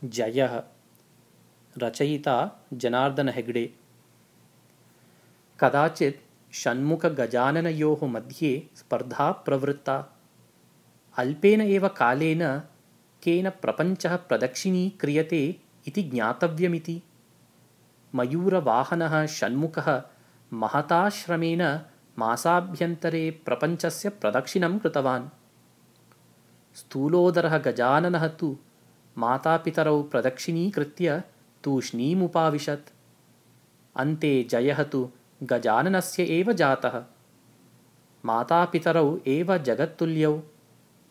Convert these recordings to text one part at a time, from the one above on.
जयः रचयिता जनार्दन हेगडे। कदाचित् षण्मुखगजाननयोः मध्ये स्पर्धा प्रवृत्ता। अल्पेन एव कालेन केन प्रपञ्चः प्रदक्षिणीक्रियते इति ज्ञातव्यमिति। मयूरवाहनः षण्मुखः महता श्रमेण मासाभ्यन्तरे प्रपञ्चस्य प्रदक्षिणं कृतवान्। स्थूलोदरः गजाननः तु मातापितरौ प्रदक्षिणीकृत्य तूष्णीमुपाविशत्। अन्ते जयः तु गजाननस्य एव जातः। मातापितरौ एव जगत्तुल्यौ।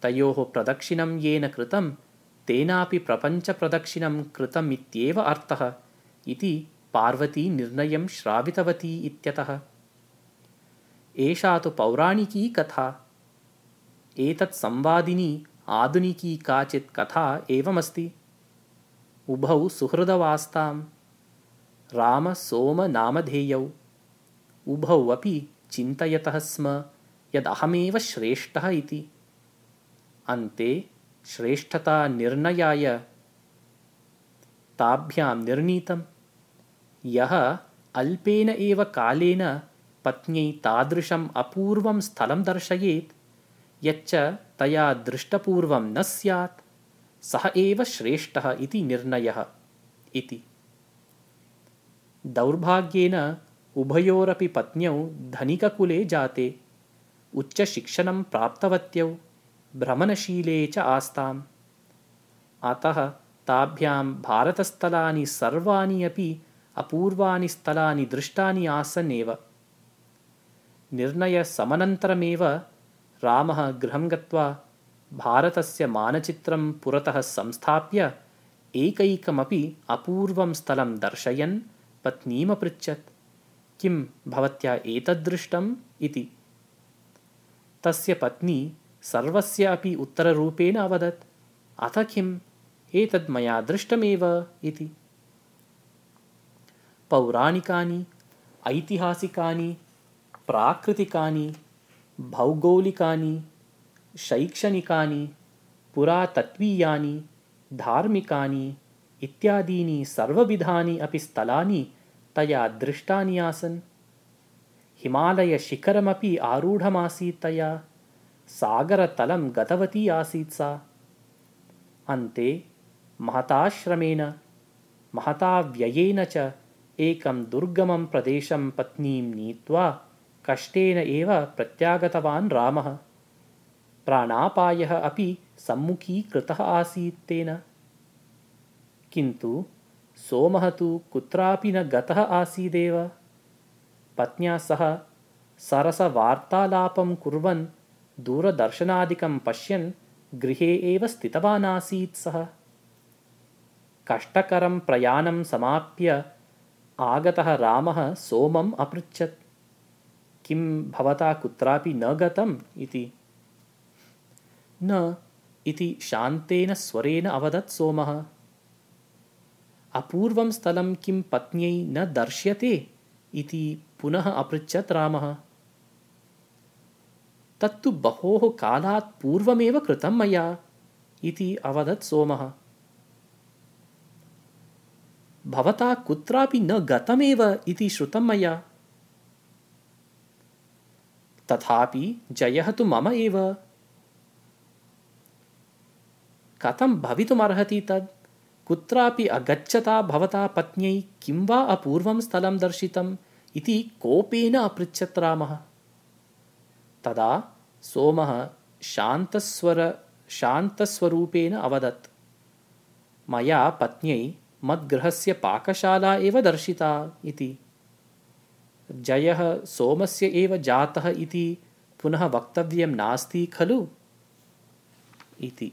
तयोः प्रदक्षिणं येन कृतं तेनापि प्रपञ्चप्रदक्षिणं कृतमित्येव अर्थः इति पार्वती निर्णयं श्रावितवती इत्यतः। एषा तु पौराणिकी कथा। एतत् संवादिनी आधुनिकी काचित् कथा एवमस्ति। उभौ सुहृदवास्ताम्। रामसोमनामधेयौ। उभौ अपि चिन्तयतः स्म यदहमेव श्रेष्ठः इति। अन्ते श्रेष्ठतानिर्णयाय ताभ्यां निर्णीतम्। यः अल्पेन एव कालेन पत्न्यै तादृशम् अपूर्वं स्थलं दर्शयेत् यच्च तया दृष्टपूर्वं न स्यात् सः एव श्रेष्ठः इति निर्णयः इति। दौर्भाग्येन उभयोरपि पत्न्यौ धनिककुले जाते। उच्चशिक्षणं प्राप्तवत्यौ। भ्रमणशीले च आस्ताम्। अतः ताभ्यां भारतस्थलानि सर्वाणि अपि अपूर्वानि स्थलानि दृष्टानि आसन् एव। निर्णयसमनन्तरमेव रामः गृहं गत्वा भारतस्य मानचित्रं पुरतः संस्थाप्य एकैकमपि अपूर्वं स्थलं दर्शयन् पत्नीमपृच्छत्, किं भवत्या एतद्दृष्टम् इति। तस्य पत्नी सर्वस्य अपि उत्तररूपेण अवदत्, अथ किम्, एतद् मया दृष्टमेव इति। पौराणिकानि, ऐतिहासिकानि, प्राकृतिकानि, भौगोलिकानि, शैक्षणिकानि, पुरातत्त्वीयानि, धार्मिकानि इत्यादीनि सर्वविधानि अपि स्थलानि तया दृष्टानि आसन्। हिमालयशिखरमपि आरूढमासीत् तया। सागरतलं गतवती आसीत् सा। अन्ते महताश्रमेण महता व्ययेन च एकं दुर्गमं प्रदेशं पत्नीं नीत्वा कष्टेन एव प्रत्यागतवान् रामः। प्राणापायः अपि सम्मुखीकृतः आसीत् तेन। किन्तु सोमः तु कुत्रापि न गतः आसीदेव। पत्न्या सह सरसवार्तालापं कुर्वन् दूरदर्शनादिकं पश्यन् गृहे एव स्थितवान् आसीत् सः। कष्टकरं प्रयाणं समाप्य आगतः रामः सोमम् अपृच्छत्, किं भवता कुत्रापि न गतम् इति। न इति शान्तेन स्वरेण अवदत् सोमः। अपूर्वं स्थलं किं पत्न्यै न दर्श्यते इति पुनः अपृच्छत् रामः। तत्तु बहोः कालात् पूर्वमेव कृतं मया इति अवदत् सोमः। भवता कुत्रापि न गतमेव इति श्रुतं मया। तथापि जयः तु मम एव। कथं भवितुमर्हति तद्? कुत्रापि अगच्छता भवता पत्न्यै किं वा अपूर्वं स्थलं दर्शितम् इति कोपेन अपृच्छत् रामः। तदा सोमः शान्तस्वरूपेण अवदत्, मया पत्न्यै मद्गृहस्य पाकशाला एव दर्शिता इति। जयः सोमस्य एव जातः इति पुनः वक्तव्यं नास्ति खलु इति।